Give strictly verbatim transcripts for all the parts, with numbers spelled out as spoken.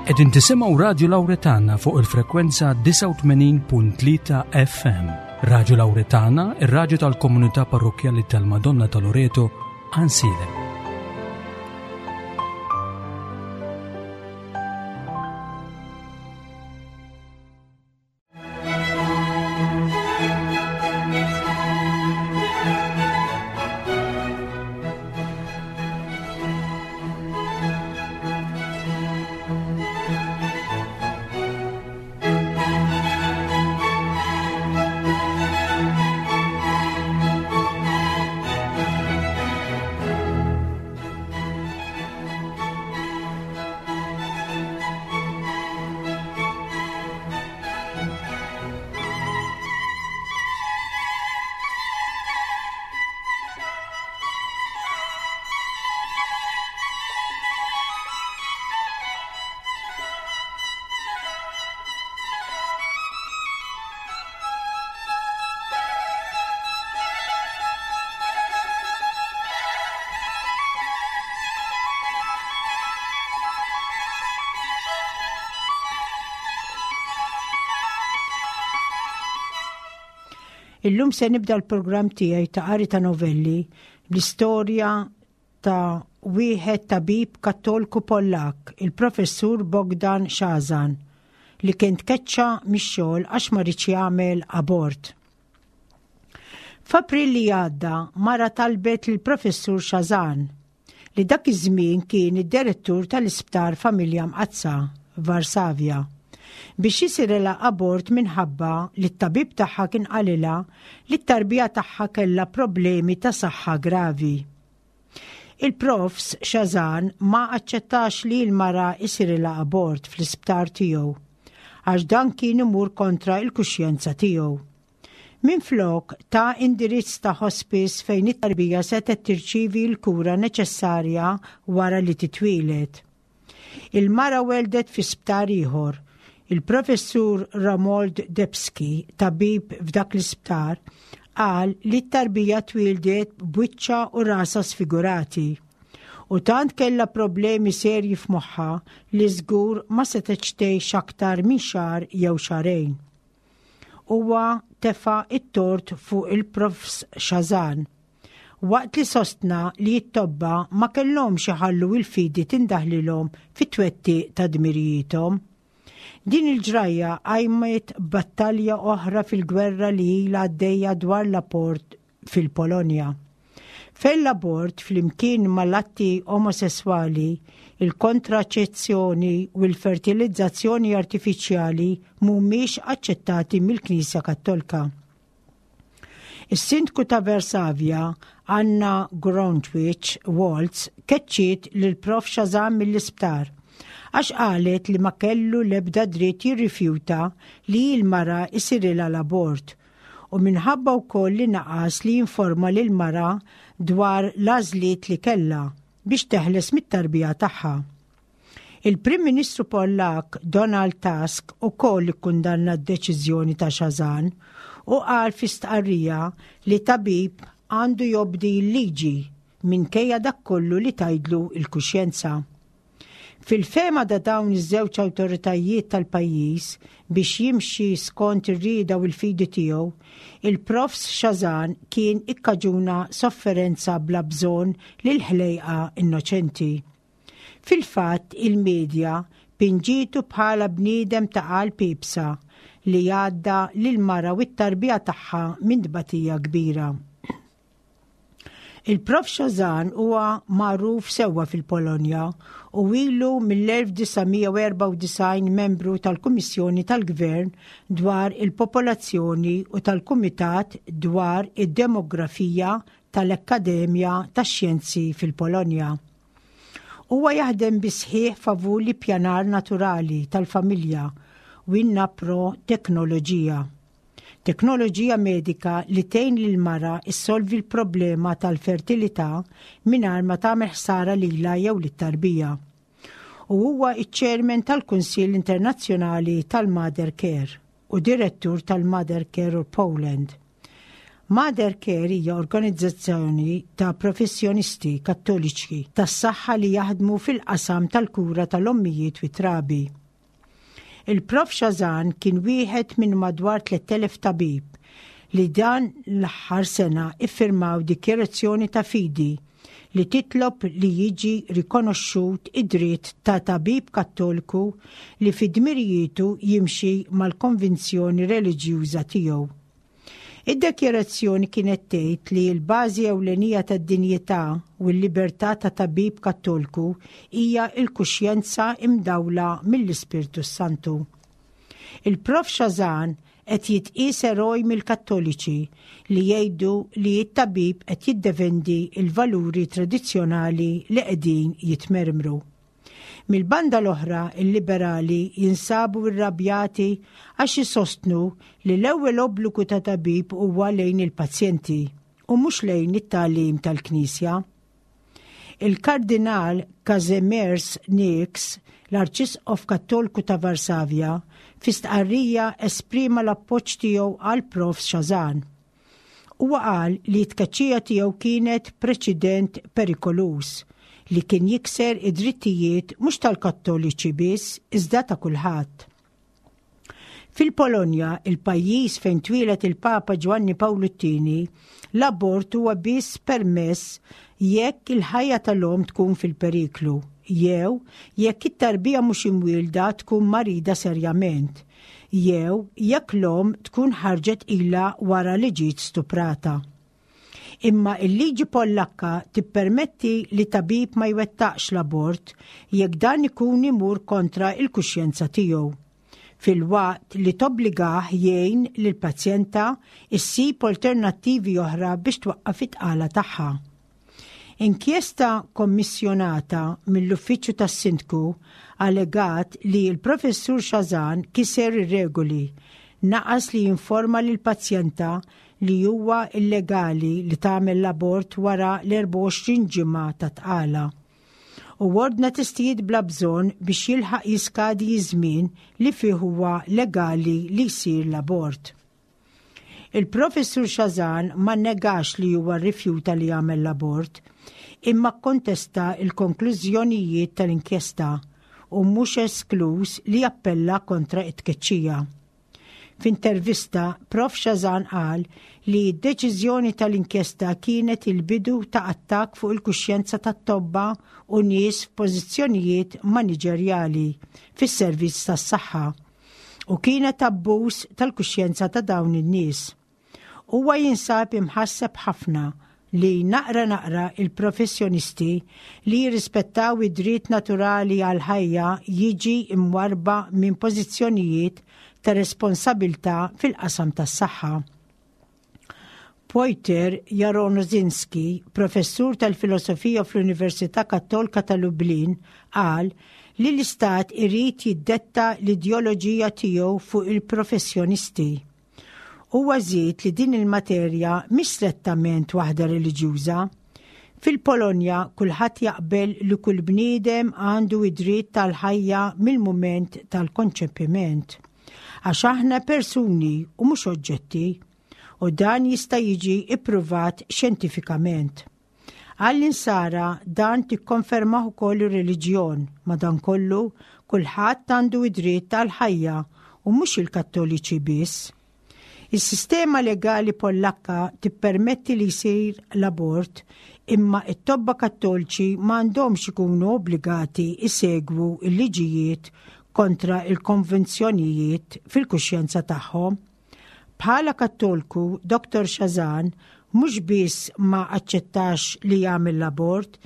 Qegħdin tisimgħu Radio Lauretana fuq il-frekwenza disgħa u tmenin punt tlieta F M. Radio Lauretana, ir-raġu tal-komunità parrokjali tal-Madonna ta' Loreto, Għajnsielem. Illum se nibda l-programm tiegħi ta' qari ta' novelli bl-istorja ta' wieħed tabib Kattolku Pollak, il-professur Bogdan Chrzan, li kien tkeċċa mix-xogħol għax ma riedx jagħmel abort. F'April li għadda mara talbet lill-professur Chrzan, li dak iż-żmien kien id-direttur tal-Isptar Familja Mqaddsa Varsavja, biex jisirilha abort minħabba li t-tabib tagħha kien qalilha li t-tarbija tagħha kellha problemi ta' saħħa gravi. Il-profs Chrzan ma aċċettax li l-mara isirilha abort fl-isptar tiegħu għax dan kien imur kontra il-kuxjenza tiegħu. Minflok ta indirizz ta' hospice fejn it-tarbija setgħet tirċivi l-kura neċessarja wara li titwieled. Il-mara weldet fi sptar ieħor. Il-professur Romuald Debski, tabib f'dak l-isptar, qal li t-tarbija twildet b'wiċċa u rasa sfigurati. U tant kella problemi serji f'moħħa li żgur ma setgħetx tgħix aktar minn xahar jew xahrejn. Huwa tefa' it-tort fuq il-profs Chrzan, waqt li sostna li t-tobba ma kellhomx iħallu il-fidi tindaħlilhom fit-twettiq ta' dmirijiethom. Din il-ġrajja qajmet battalja oħra fil-gwerra li ilha għaddejja dwar l-abort fil-Polonja, fejn l-abort flimkien mal-atti omosessuali, il-kontraċezzjoni u l-fertilizzazzjoni artifiċjali mhumiex aċċettati mill-Knisja Kattolika. Is-sindku ta' Varsavja, Anna Gronkiewicz-Waltz, keċċiet lil prof Chrzan mill-isptar għax qalet li ma kellu lebda dritt jirrifjuta li l-mara isirilha l-abort u minħabba wkoll li naqas li jinforma lil mara dwar l-għażliet li kella biex teħles mit-tarbija tagħha. Il-Prim Ministru Pollak Donald Tusk ukoll ikkundanna d-deċiżjoni ta' Chrzan u qal fi stqarrija li tabib għandu jobdi l-liġi minkejja dak kollu li tgħidlu il-kuxjenza. Fil-fehma ta' dawn iż-żewġ awtoritajiet tal-pajjiż, biex jimxi skont ir-rieda u l-fidi tiegħu, il-profs Chrzan kien ikkaġuna sofferenza bla bżonn lil ħlejqa innoċenti. Fil-fatt, il-medja pinġitu bħala bniedem ta' qalb iebsa li għadda lil mara u t-tarbija tagħha minn tbatija kbira. Il-Prof Chrzan huwa magħruf sewwa fil-Polonja u ilu mill-elf disa' mija u erbgħa u disgħin membru tal-Kummissjoni tal-Gvern dwar il-Popolazzjoni u tal-Kumitat dwar id-Demografija tal-Akkademja tax-Xjenzi fil-Polonja. Huwa jaħdem bis-sħiħ favur l-ippjanar naturali tal-familja u in pro teknoloġija. Teknoloġija medika li tgħin lil mara issolvi l-problema tal-fertilità mingħajr ma tagħmel ħsara lilha jew lit-tarbija. U huwa iċ-chairman tal-Kunsill Internazzjonali tal-Mother Care u direttur tal-Mother Care Poland. Mother Care hija organizzazzjoni ta' professjonisti kattoliċi tas-saħħa li jaħdmu fil-qasam tal-kura tal-ommijiet u trabi. Il-Prof Chrzan kien wieħed minn madwar tliet elef tabib li dan l-aħħar sena iffirmaw dikjerazzjoni ta' fidi li titlob li jiġi rikonoxxut id-dritt ta' tabib kattoliku li fi dmirijietu jimxi mal-konvinzjoni reliġjuża tiegħu. Id-dekjerazzjoni kienet tgħid li l-bażi ewlenija tad-dinjità u l-libertà ta' tabib kattoliku hija l-kuxjenza imdawla mill-Ispirtu Santu. Il-Prof Chrzan qed jitqies eroj mill-Kattoliċi li jgħidu li t-tabib qed jiddefendi il-valuri tradizzjonali li qegħdin jitmermru. Mil-banda l-oħra, il-liberali jinsabu irrabjati għax jisostnu li l-ewwel obbligu ta' tabib huwa lejn il-pazjenti u mhux lejn it-tagħlim tal-Knisja. Il-Kardinal Kazimierz Nycz, l-Arċisqof Kattoliku ta' Varsavja, fi stqarrija esprima l-appoġġ tiegħu għal Prof Chrzan. Huwa qal li t-tkeċċija tiegħu kienet preċedent perikoluż li kien jikser id-drittijiet mhux tal-Kattoliċi biss iżda ta' kulħadd. Fil-Polonja, il-pajjiż fejn twieled il-Papa Ġwanni Pawlu t-Tieni, l-abort huwa biss permess jekk il-ħajja tal-om tkun fil-periklu, jew jekk it-tarbija mhux imwielda tkun marida serjament, jew jekk l-om tkun ħarġet ilha wara li ġiet stuprata. Imma il-liġi Pollakka tippermetti li tabib ma jwettaqx l-abort jekk dan ikun imur kontra il-kuxjenza tiegħu, filwaqt li tobbligah jgħin lil pazjenta issib alternattivi oħra biex twaqqaf it-tqala tagħha. Inkjesta kommissjonata mill-uffiċċju tas-sindku allegat li l-professur Chrzan kiser ir-regoli, naqas li jinforma lil pazjenta li huwa illegali li tagħmel l-abort wara l-erbgħa u għoxrin ġimgħa ta' tqala u ordna testijiet bla bżonn biex jilħaq jiskadi żmien li fih huwa legali li jsir l-abort. Il-professur Chrzan ma negax li huwa rrifjuta li jagħmel l-abort, imma kontesta il-konklużjonijiet tal-inkjesta u mhux esklus li appella kontra it-tkeċċija. F'intervista, Prof Chrzan qal li d-deċiżjoni tal-inkjesta kienet il-bidu ta' attak fuq il-kuxjenza tat-tobba u nies f'pożizzjonijiet maniġerjali fis-servizz tas-saħħa u kienet abbuż tal-kuxjenza ta' dawn in-nies. Huwa jinsab imħasseb ħafna li naqra naqra il-professjonisti li jirrispettaw id-dritt naturali għal ħajja jiġi imwarba minn pożizzjonijiet ta' responsabilta fil-qasam tas-saħħa. Piotr Jaroszynski, professur tal-filosofija fl-Università Kattolika ta' Lublin, qal li l-istat irid jiddetta l-ideoloġija tiegħu fuq il-professjonisti. Huwa żied li din il-materja mhix strettament waħda reliġjuża. Fil-Polonja kulħadd jaqbel li kull bniedem għandu id-dritt tal-ħajja mill-mument tal-konċepiment. Għax aħna persuni u mhux oġġetti, u dan jista' jiġi ippruvat xjentifikament. Għall-insara dan tikkonfermah ukoll ir-reliġjon, madankollu kulħadd għandu id-dritt tal-ħajja u mhux il-Kattoliċi biss. Is-sistema legali Pollakka tippermetti li jsir l-abort, imma it-tobba kattoliċi m'għandhomx ikunu obbligati isegwu il-liġijiet kontra il-konvenzjonijiet fil-kuxjenza tagħhom. Bħala Kattolku, Doktor Chrzan mhux biss ma aċċettax li jagħmel l-abort,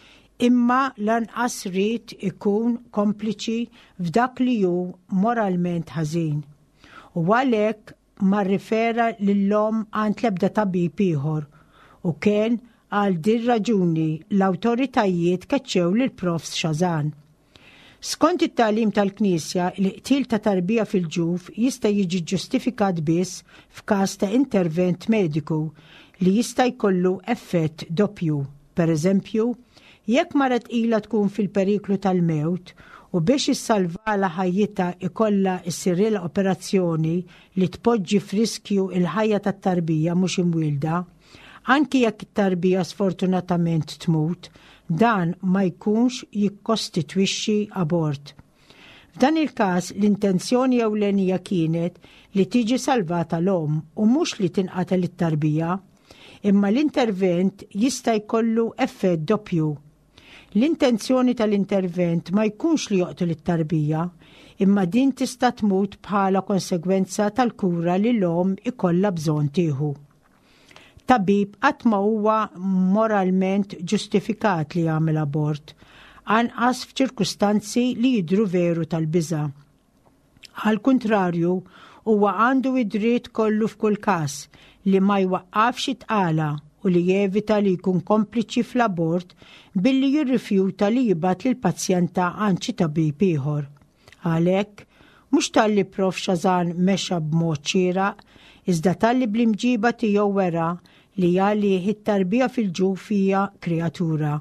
imma lanqas ried ikun kompliċi f'dak li hu moralment ħażin. U għalhekk ma rrifera lill-omm għand l-ebda tabib ieħor u kien għal din raġuni l-awtoritajiet keċċew lil Prof Chrzan. Skont it-tagħlim tal-Knisja, il-qtil ta' tarbija fil-ġuf jista' jiġi ġustifikat biss f'każ ta' intervent mediku li jista' jkollu effett doppju. Per eżempju, jekk mara tqila tkun fil-periklu tal-mewt u biex issalvala ħajjitha ikollha ssirilha operazzjoni li tpoġġi f'riskju il-ħajja tat-tarbija mhux imwielda, Anki jekk it-tarbija sfortunatament tmut, dan ma jkunx jikkostitwixxi abort. F'dan il-każ l-intenzjoni ewlenija kienet li tiġi salvata l-omm u mhux li tinqatel it-tarbija, imma l-intervent jista' jkollu effett doppju. L-intenzjoni tal-intervent ma jkunx li joqtol it-tarbija, imma din tista' tmut bħala konsegwenza tal-kura li l-omm ikollha bżonn tieħu. Tabib qatt ma huwa moralment ġustifikat li jagħmel abort, anqas f'ċirkustanzi li jidhru veru tal-biża'. Għal kuntrarju, huwa għandu id-dritt kollu f'kull każ li ma jwaqqafx it-tqala u li jevita li jkun kompliċi fl-abort billi jirrifjuta li jibgħat lill-pazjenta għand xi tabib ieħor. Għalhekk, mhux talli Prof Xazan mexa b'mod xieraq, iżda talli bl-imġiba tiegħu wera li għalih it-tarbija fil-ġuf hija kreatura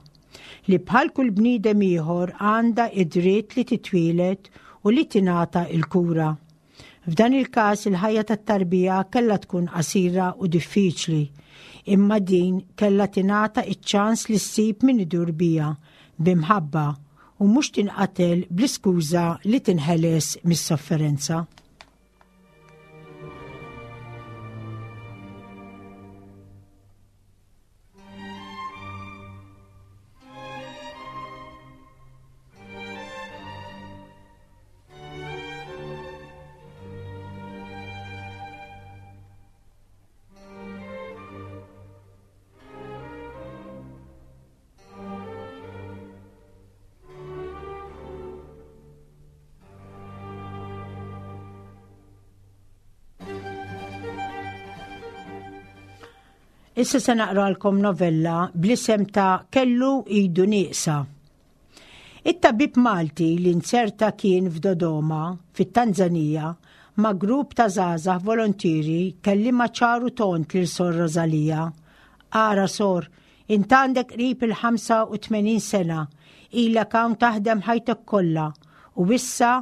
li bħal kull bniedem ieħor għandha id-dritt li titwieled u li tingħata l-kura. F'dan il-każ il-ħajja tat-tarbija kellha tkun qasira u diffiċli, imma din kellha tingħata iċ-ċans li ssib min idur biha b'imħabba u mhux tinqatel bl-iskuża li tinħeles mis-sofferenza. Issa se naqralkom novella bl-isem ta' Kellu idu nieqsa. It-tabib Malti li nzerta kien f'Dodoma, fit-Tanzanija, ma' grupp ta' żgħażagħ volontieri kellima ċaru tont lil Sor Rosalija. Ara Sor, int għandek qrib il-ħamsa u tmenin sena, ilek hawn taħdem ħajtek kollha u issa,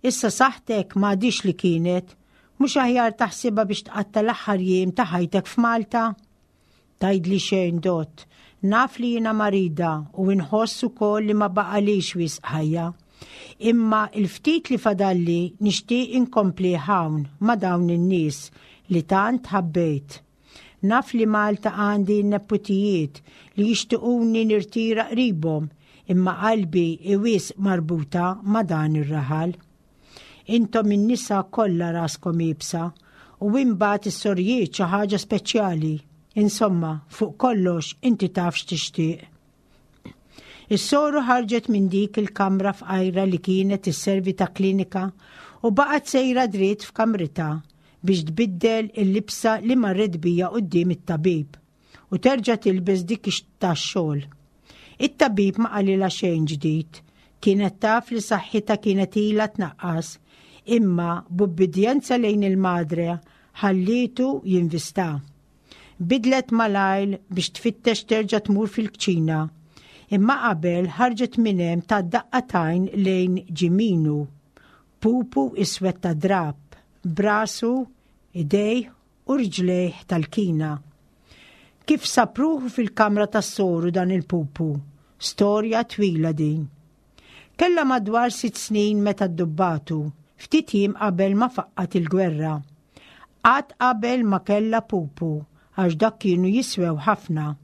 issa saħħtek m'għadix li kienet, mhux aħjar taħsibha biex tqatta' l-aħħar jiem ta' ħajtek f'Malta? Tgħidli xejn dott, naf li jiena marida u nħoss ukoll li ma baqalix wisq ħajja. Imma il-ftit li fadalli nixtieq inkompli hawn ma' dawn in-nies li tant ħabbejt. Naf li Malta għandi n-neputijiet li jixtiequni nirtira qribhom, imma qalbi iwis marbuta ma' dan ir-raħal. Intom in-nisa kollha raskom iebsa u imbagħad is-sorjiet xi ħaġa speċjali. Insomma, fuq kollox inti taf x'tixtieq. Is-soru ħarġet minn dik il-kamra fqajra li kienet isservi ta' klinika u baqgħet sejra dritt f'kamritha biex tbiddel il-libsa li marret bija quddiem it-tabib u terġa' tilbes dik tax-xogħol. It-tabib ma qalilha xejn ġdid, kienet taf li saħħitha kienet ilha tnaqqas, imma b'ubbidjenza lejn il-madre ħallietu jinvista. Bidlet malajl biex tfittex terġa' tmur fil-kċina, imma qabel ħarġet minn hemm ta' daqqa tajn lejn Ġiminu, pupu iswed ta' drab, brasu, idejh u riġlejh tal-kina. Kif sapruħu fil-kamra tas-soru dan il-pupu? Storja twila din. Kellha madwar sitt snin meta ddubbatu, ftit jiem qabel ma faqqat il-gwerra. Qatt qabel ma kellha pupu, għax dak kienu jiswew ħafna.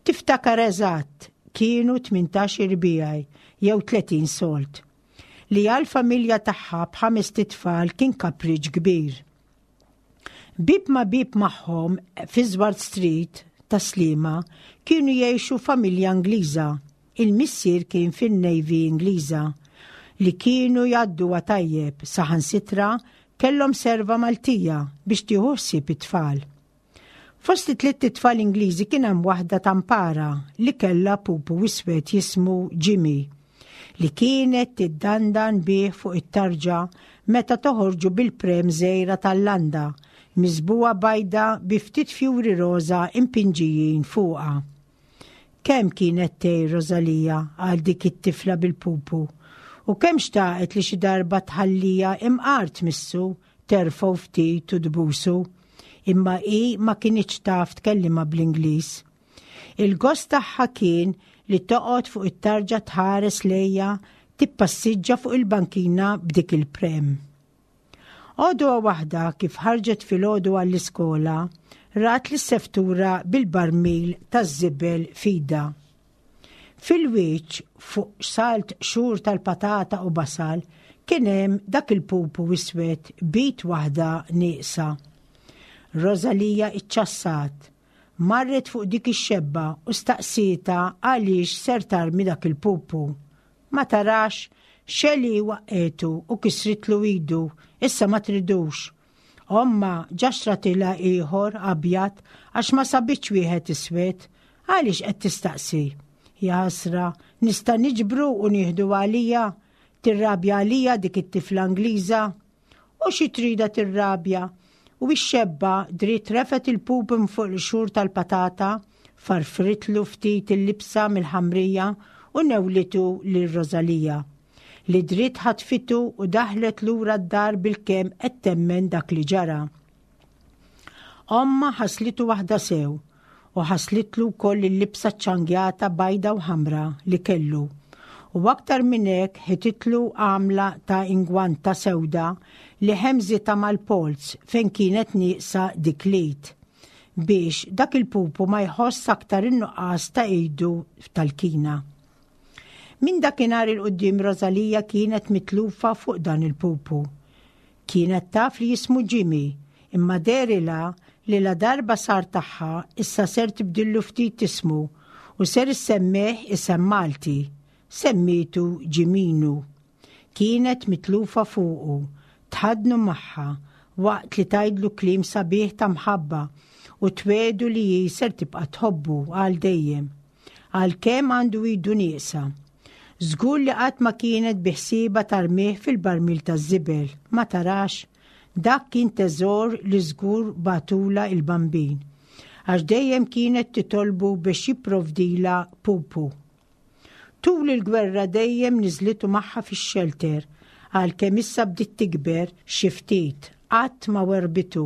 Tiftakar eżatt, kienu tmintax irbijaj jew tletin solt, li għal familja tagħha b'ħames titfal kien kapriċ kbir. Bib ma bib magħhom fi Swart Street ta' Sliema kienu jgħixu familja Ingliża. Il-missier kien fin-Navy Ingliża li kienu jgħadduha tajjeb, saħansitra kellhom serva Maltija biex tieħu ħsieb it-tfal. Fost it-tliet tfal Ingliżi kien hemm waħda tampara li kellha pupu iswed jismu Jimmy, li kienet tiddandan bih fuq it-tarġa meta toħorġu bil-prem żgħira tal-landa, miżbuha bajda bi ftit fjuri roża impinġijin fuqha. Kemm kienet tgħir Rosalija għal dik it-tifla bil-pupu, u kemm xtaqet li xi darba tħallija imqar tmissu, terfgħu ftit u tbusu. imma hi ma kinitx taf tkellimha bl-Ingliż. Il-gost tagħha kien li toqgħod fuq it-tarġa tħares lejha tippassiġġa fuq il-bankina b'dik il-prem. Għodwa waħda kif ħarġet filgħodu għall-iskola, rat lis-seftura bil-barmil taż-żibel f'idha. Fil-wiċċ fuq salt qxur tal-patata u basal kien hemm dak il-pupu iswed b'id waħda nieqsa. Rosalija iċċassat, marret fuq dik ix-xebba u staqsietha għaliex ser tarmi dak il-pupu. Ma tarax, Xeli waqqgħetu u kisritlu idu, issa ma tridux. Omma ġa xtratilha ieħor abjad għax ma sabitx wieħed iswed, għaliex qed tistaqsi? Jaħasra, nista' niġbru u nieħdu għalija, tirrabja għalija dik it-tifla Ingliża. U xi trida tirrabja? U x-xebba dritt refet il-pup fuq il-qxur tal-patata, farfritlu ftit il-libsa mill-ħamrija u newlitu lil Rosalija. Li dritt ħatfitu u daħlet lura d-dar bil-kemm qed temmen dak li ġara. Omma ħaslitu waħda sew u ħaslitlu wkoll il-libsa ċangjata bajda u ħamra li kellu. U aktar minn hekk ħititlu għamla ta' ingwanta sewda li ħemżita mal-polz fejn kienet nieqsa dik l-id biex dak il-pupu ma jħoss aktar in-nuqqas ta' idu tal-kina. Minn dakinhar 'il quddiem Rosalija kienet mitlufa fuq dan il-pupu. Kienet taf li jismu Jimmy, imma dehrilha li la darba sar tagħha issa ser tibdillu ftit ismu u ser issemmih isem Malti. Semmitu Ġiminu. Kienet mitlufa fuqu, tħadnu magħha waqt li tgħidlu kliem sabiħ ta' mħabba u twiegħdu li hi ser tibqa' tħobbu għal dejjem. Għalkemm għandu idu nieqsa. Żgur li qatt ma kienet biħsiebha tarmih fil-barmil taż-żibel, ma tarax, dak kien teżor li żgur bagħatulha il-bambin, għax dejjem kienet titolbu biex jipprovdila pupu. Tul il-gwerra dejjem niżlitu magħha fix-xelter, għalkemm issa bdiet tikber xi ftit, qatt ma werbitu,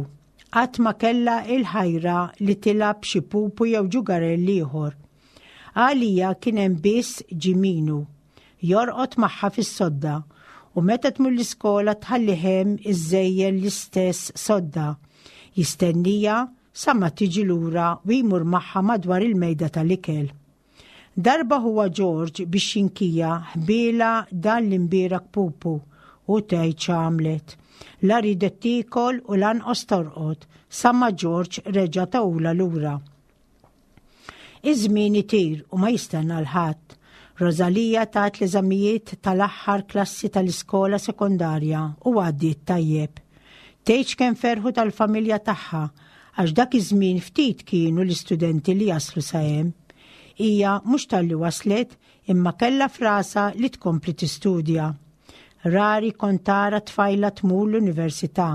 qatt ma kellha il-ħajra li tilgħab xi pupu jew ġugarell ieħor. Għalija kien hemm biss Ġiminu, jorqod magħha fis-sodda u meta tmur l-iskola tħallih hemm iżejjen l-istess sodda. Jistennija sa ma tiġi lura u jmur magħha madwar il-mejda tal-ikel. Darba huwa George biex jinkija ħbiela dan l-imbierak pupu u tgħid x'għamlet. La ridet tiekol u lanqos torqod sa ma George reġa' tahulha lura. Iż-żmien itir u ma jistenna 'l ħadd. Rosalija tat l-eżamijiet tal-aħħar klassi tal-iskola sekondarja u għaddiet tajjeb. Tgħidx kemm ferħu tal-familja tagħha għax dak iż-żmien ftit kienu l-istudenti li jaslu sa hemm. Hija mhux talli waslet imma kellha f'rasha li tkompli tistudja. Rari kont tara tfajla tmur l-università.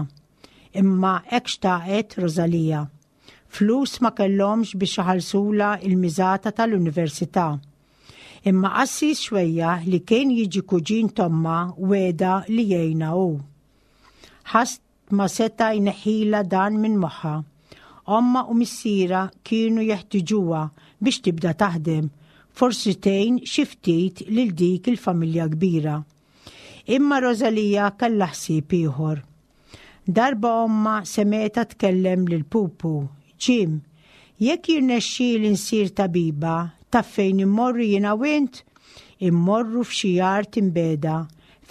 Imma hekk xtaqet Rosalija. Flus ma kellhomx biex iħallsulha il-miżata tal-università. Imma qassis xwejja li kien jiġi kuġin t'ommha wegħedha li jgħinha hu. Ħadd ma seta' jneħħilha dan minn moħħha. Omma u missierha kienu jeħtiġuha biex tibda taħdem, forsi tgħin xi ftit lil dik il-familja kbira. Imma Rosalija kellha ħsieb ieħor. Darba omma semgħetha tkellem lil Pupu, Jim, jekk jirnexxieli nsir tabiba, taf fejn immorru jiena u int? Immorru f'xi art imbiegħda,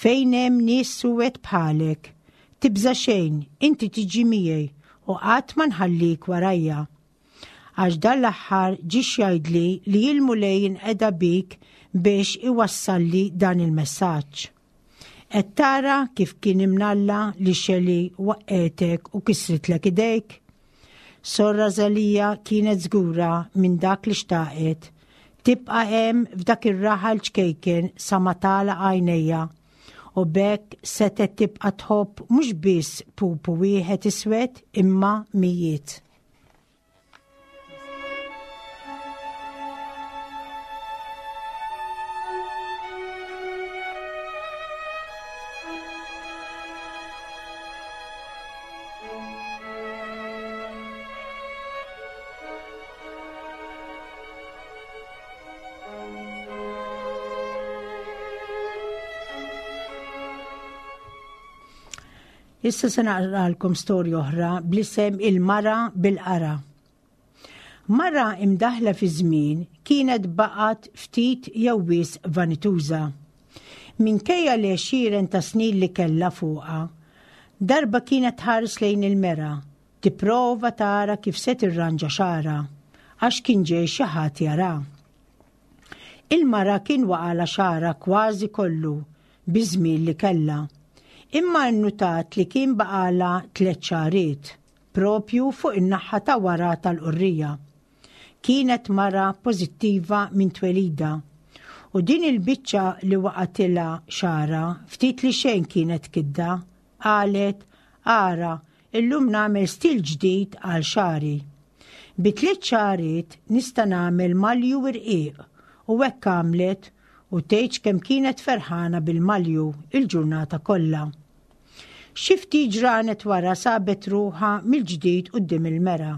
fejn hemm nies suwed bħalek. Tibża xejn, inti tiġi miegħi u qatt ma nħallik warajja. Għax dan l-aħħar ġie jgħidli li il-Mulej inqeda bik biex iwassalli dan il-messaġġ. Qed tara kif kien imnalla li Xeli waqqgħetek u kisritlek idejk? Sor Rosalija kienet żgura minn dak li xtaqet. Tibqa' hemm f'dak ir-raħal ċkejken sa ma tagħlaq għajnejha u b'hekk setgħet tibqa' tħobb mhux biss pupu wieħed iswed imma mijiet. Issa se naqralkom storja oħra bl-isem Il-Mara bil-Qara. Mara imdaħla fi żmien kienet baqgħet ftit jew wisq vanituża. Minkejja li għexieren ta' snin li kellha fuqha, darba kienet tħares lejn il-mera, tipprova tara kif se tirranġa xagħarha, għax kien ġej xi ħadd jara. Il-mara kien waqala xagħarha kważi kollu biż-żmien li kellha. Imma nnutat li kien baqala tliet xagħriet, propju fuq in-naħa ta' wara tal-qurrija. Kienet mara pożittiva minn twelida. U din il-biċċa li waqatilha xagħarha ftit li xejn kienet kidda, qalet, ara, illum nagħmel stil ġdid għal xagħri. Bi tliet xagħriet nista' nagħmel malju irqiq u hekk għamlet u tgħidx kemm kienet ferħana bil-malju il-ġurnata kollha. Xi ftit ġranet wara sabet ruħha mill-ġdid quddiem il-mera.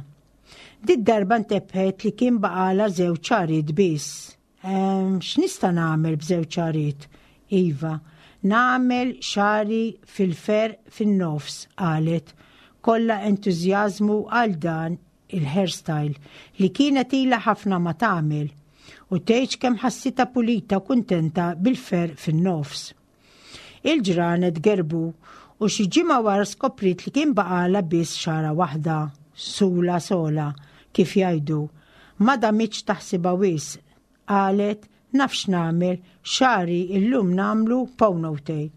Did-darba ntebħet li kien baqala żewġ xagħriet biss. Ehm, x'nista' nagħmel b'żewġ xagħriet? Iva, nagħmel xagħri fil-ferq fin-nofs, qalet, kollha entużjażmu għal dan il-hairstyle li kienet ilha ħafna ma tagħmel u tgħidx kemm ħassitha pulita u kuntenta bil-ferq fin-nofs. Il-ġranet gerbu u xi ġimgħa wara skopriet li kien baqala biss xagħra waħda, sula sola, kif jgħidu. Ma damitx taħsibha wisq, qalet naf x'nagħmel, xagħri illum nagħmlu ponytail.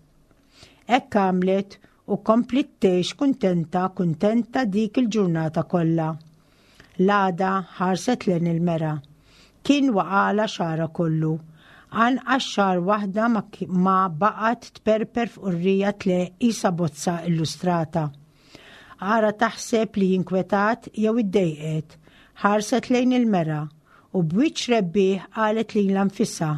Hekk għamlet u kompliet tgħix kuntenta kuntenta dik il-ġurnata kollha. L-għada ħarset lejn il-mera. Kien waqala xagħarha kollu. Anqas xagħra waħda ma ki-, ma baqgħet tperper f'qurrija tleqq qisha bozza illustrata. Ara taħseb li jinkwetat jew iddejqet, ħarset lejn il-mera u b'wiċċ rebbieħ qalet lilha nfisha.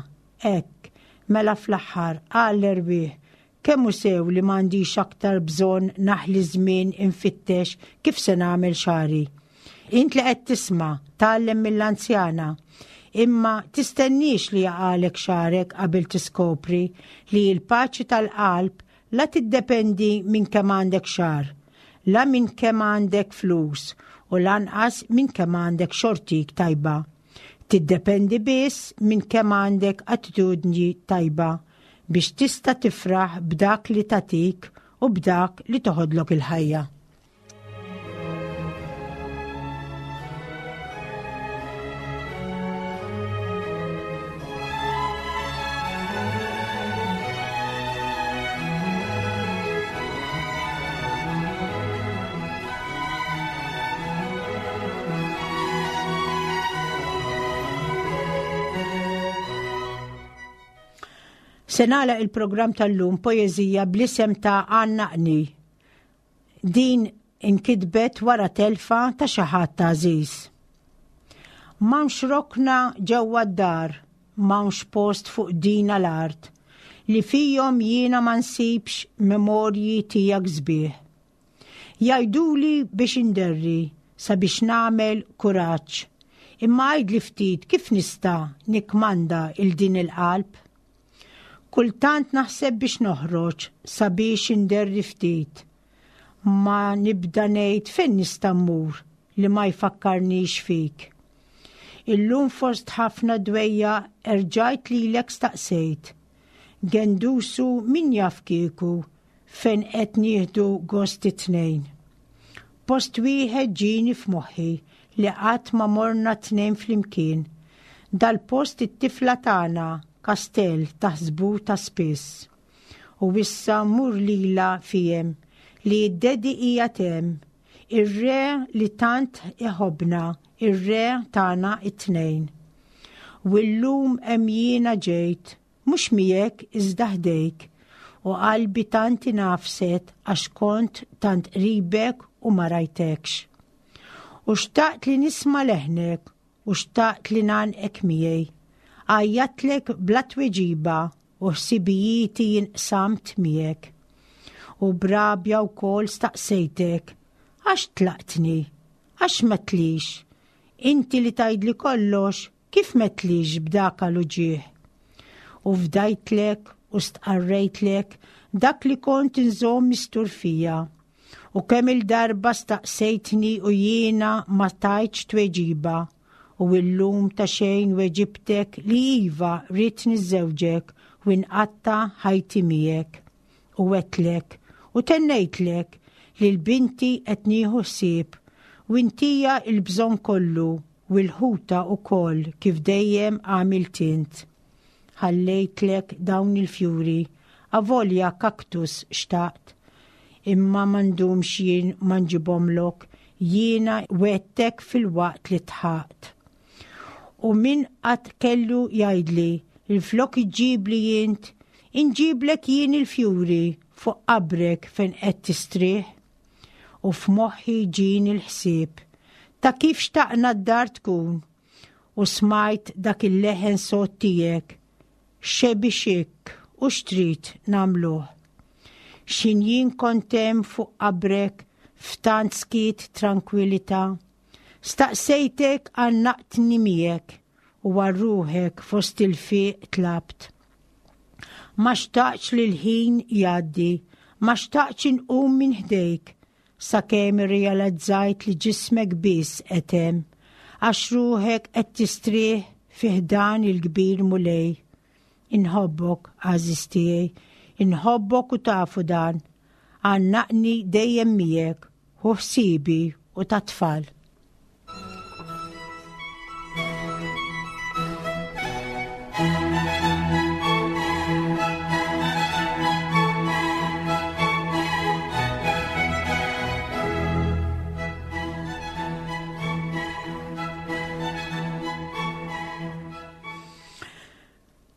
Hekk, mela fl-aħħar qal l-erwieħ, kemm hu sew li m'għandix aktar bżonn naħli żmien infittex kif se nagħmel xagħri. Int li qed tisma' tgħallem mill-anzjana, imma tistenniex li jaqalek xagħrek qabel tiskopri li l-paċi tal-qalb la tiddependi minn kemm għandek xagħar, la minn kemm għandek flus u lanqas minn kemm għandek xortik tajba. Tiddependi biss minn kemm għandek attitudni tajba biex tista' tifraħ b'dak li tatik u b'dak li toħodlok il-ħajja. Se nagħlaq il-programm tal-lum poeżija bl-isem ta' Għannaqni. Din inkitbet wara telfa ta' xi ħadd ta' għażiż. M'hawnx rokna ġewwa d-dar, m'hawnx post fuq dina l-art, li fihom jiena ma nsibx memorji tiegħek sbieħ. Jgħiduli biex inderri sabiex nagħmel kuraġġ, imma għidli ftit kif nista' nikmanda il din il-qalb. Kultant naħseb biex noħroġ sabiex inderri ftit. Ma nibda ngħid fejn nista' mmur li ma jfakkarnix fik. Illum fost ħafna dwejja erġajt lilek staqsejt. Gendusu min jaf kieku fejn qed nieħdu gost it-tnejn. Post wieħed ġieni f'moħħi li qatt ma morna tnejn flimkien. Dal-post it-tifla tagħna kastell taħsbu ta' spiss. U issa mur lila fijem li d-dedi hija tem, ir-re li tant iħobna, ir-re tagħna it-tnejn. U llum hemm jiena ġejt, mhux miegħek iżda ħdejk, u qalbi tant inafset għax kont tant qribek u ma rajtekx. U xtaqt li nisma' leħnek u xtaqt li ngħannqek miegħi. Għajjatlek bla tweġiba u ħsibijieti jinqsamt miegħek. U brabja wkoll staqsejtek, għax tlaqtni, għax metlix, inti li tgħidli kollox, kif metlix b'dak l-uġigħ? U fdajtlek u stqarrejtlek dak li kont inżomm mistur fija, U kemm il-darba staqsejtni u jiena ma tajtx tweġiba u illum ta' xejn weġibtek li iva rrid niżżewġek u nqatta' ħajti miegħek. U għedtlek u tennejtlek li l-binti qed nieħu ħsieb u intija il-bżonn kollu u l-ħuta ukoll kif dejjem għamilt int. Ħallejtlek dawn il-fjuri, avolja kaktus xtaqt, imma m'għandux jien ma nġibhomlok, jiena wegħedtek fil-waqt li dħakt. U min qatt kellu jgħidli, il-flok iġibli jint, inġiblek jien il-fjuri fuq qabrek fejn qed tistrieħ. U f'moħħi ġieni l-ħsieb ta' kif xtaqna d-dar tkun u smajt dak il-leħen sod tiegħek xebi xik u xtrid nagħmluh. X'ħin jien kont hemm fuq qabrek f'tant skiet tranquillità. Staqsejtek għannaqtni miegħek u għal ruħek fost il-fiq tlabt. Ma xtaqx li l-ħin jgħaddi, ma xtaqx inqum minn ħdejk, sakemm irrealizzajt li ġismek biss qed hemm, għax ruħek qed tistrieħ fi ħdan il-kbir Mulej. Inħobbok, għażiż tiegħi, inħobbok u tafu dan, għannaqni dejjem miegħek, ħu ħsibi u tat-tfal.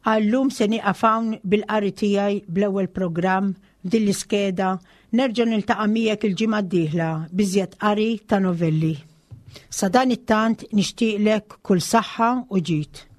Għallum se nieqaf hawn bil-qari tiegħi bl-ewwel programm f'din l-iskeda nerġa' niltaqa' miegħek il-ġimgħa d-dieħla b'iżjed qari ta' novelli. Sa dan it-tant nixtieqlek kull saħħa u ġid.